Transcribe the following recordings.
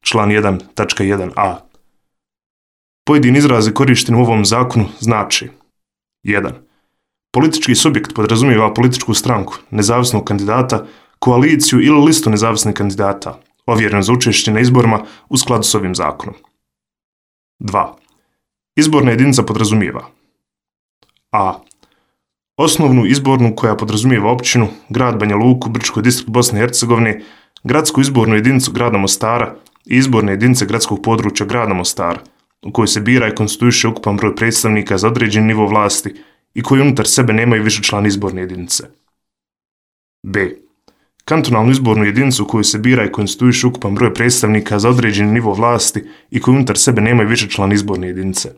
član 1.1a. Pojedini izrazi korišteni u ovom zakonu znači 1. Politički subjekt podrazumijeva političku stranku, nezavisnog kandidata, koaliciju ili listu nezavisnih kandidata, ovjereno za učešće na izborima u skladu s ovim zakonom. 2. Izborna jedinica podrazumijeva a. Osnovnu izbornu koja podrazumijeva općinu, grad Banja Luku, Brčko distrikt Bosne i Hercegovine, gradsku izbornu jedinicu grada Mostara i izborne jedinice gradskog područja grada Mostara, u kojoj se bira i konstituiše ukupan broj predstavnika za određeni nivo vlasti i koji unutar sebe nemaju višečlane izborne jedinice. b. Kantonalnu izbornu jedinicu u kojoj se bira i konstituiše ukupan broj predstavnika za određeni nivo vlasti i koji unutar sebe nemaju višečlane izborne jedinice.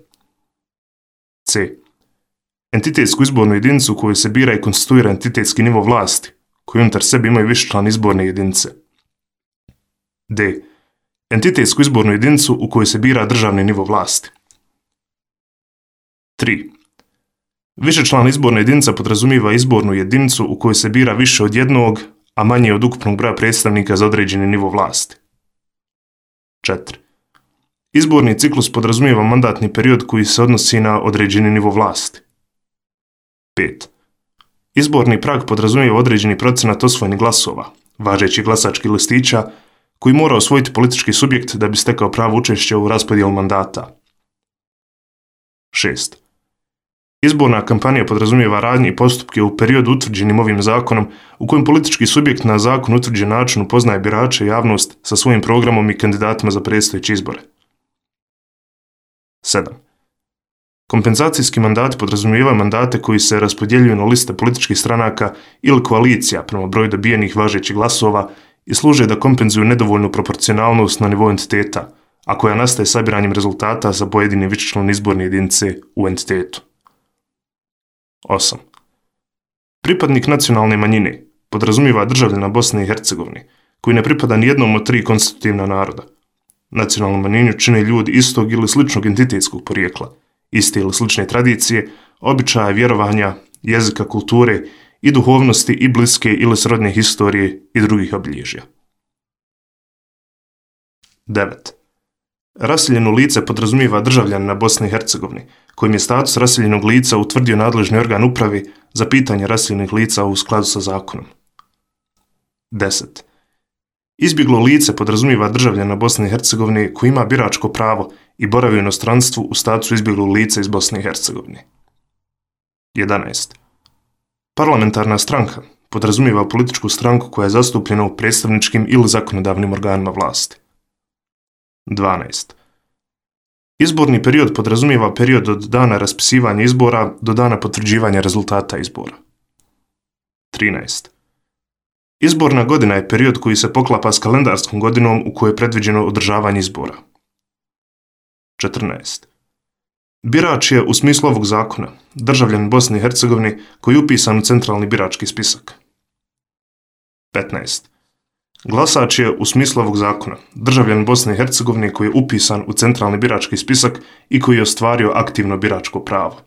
c. Entitetsku izbornu jedinicu u kojoj se bira i konstituira entitetski nivo vlasti, koji unutar sebe imaju višečlane izborne jedinice. d. Entitetsku izbornu jedinicu u kojoj se bira državni nivo vlasti. 3. Višečlana izborna jedinica podrazumijeva izbornu jedinicu u kojoj se bira više od jednog, a manje od ukupnog broja predstavnika za određeni nivo vlasti. 4. Izborni ciklus podrazumijeva mandatni period koji se odnosi na određeni nivo vlasti. 5. Izborni prag podrazumijeva određeni procenat osvojenih glasova, važećih glasačkih listića, koji mora osvojiti politički subjekt da bi stekao pravo učešća u raspodjelu mandata. 6. Izborna kampanja podrazumijeva radnje i postupke u periodu utvrđenim ovim zakonom u kojem politički subjekt na zakon utvrđen način upoznaje birače i javnost sa svojim programom i kandidatima za predstojeće izbore. 7. Kompenzacijski mandati podrazumijevaju mandate koji se raspodjeljuju na liste političkih stranaka ili koalicija prema broju dobijenih važećih glasova i služe da kompenzuju nedovoljnu proporcionalnost na nivou entiteta, a koja nastaje sabiranjem rezultata za pojedine višečlane izborne jedinice u entitetu. 8. Pripadnik nacionalne manjine podrazumijeva državljana Bosne i Hercegovine, koji ne pripada ni jednom od 3 konstitutivna naroda. Nacionalnu manjinu čine ljudi istog ili sličnog entitetskog porijekla, iste ili slične tradicije, običaja, vjerovanja, jezika, kulture i duhovnosti i bliske ili srodne historije i drugih obilježja. 9. Raseljeno lice podrazumijeva državljanina Bosne i Hercegovine, kojim je status raseljenog lica utvrdio nadležni organ uprave za pitanje raseljenih lica u skladu sa zakonom. 10. Izbjeglo lice podrazumijeva državljana Bosne i Hercegovine koji ima biračko pravo i boravi u inostranstvu u statusu izbjeglog lica iz Bosne i Hercegovine. 11. Parlamentarna stranka podrazumijeva političku stranku koja je zastupljena u predstavničkim ili zakonodavnim organima vlasti. 12. Izborni period podrazumijeva period od dana raspisivanja izbora do dana potvrđivanja rezultata izbora. 13. Izborna godina je period koji se poklapa s kalendarskom godinom u kojoj je predviđeno održavanje izbora. 14. Birač je, u smislu ovog zakona, državljan Bosne i Hercegovine koji je upisan u centralni birački spisak. 15. Glasač je, u smislu ovog zakona, državljan Bosne i Hercegovine koji je upisan u centralni birački spisak i koji je ostvario aktivno biračko pravo.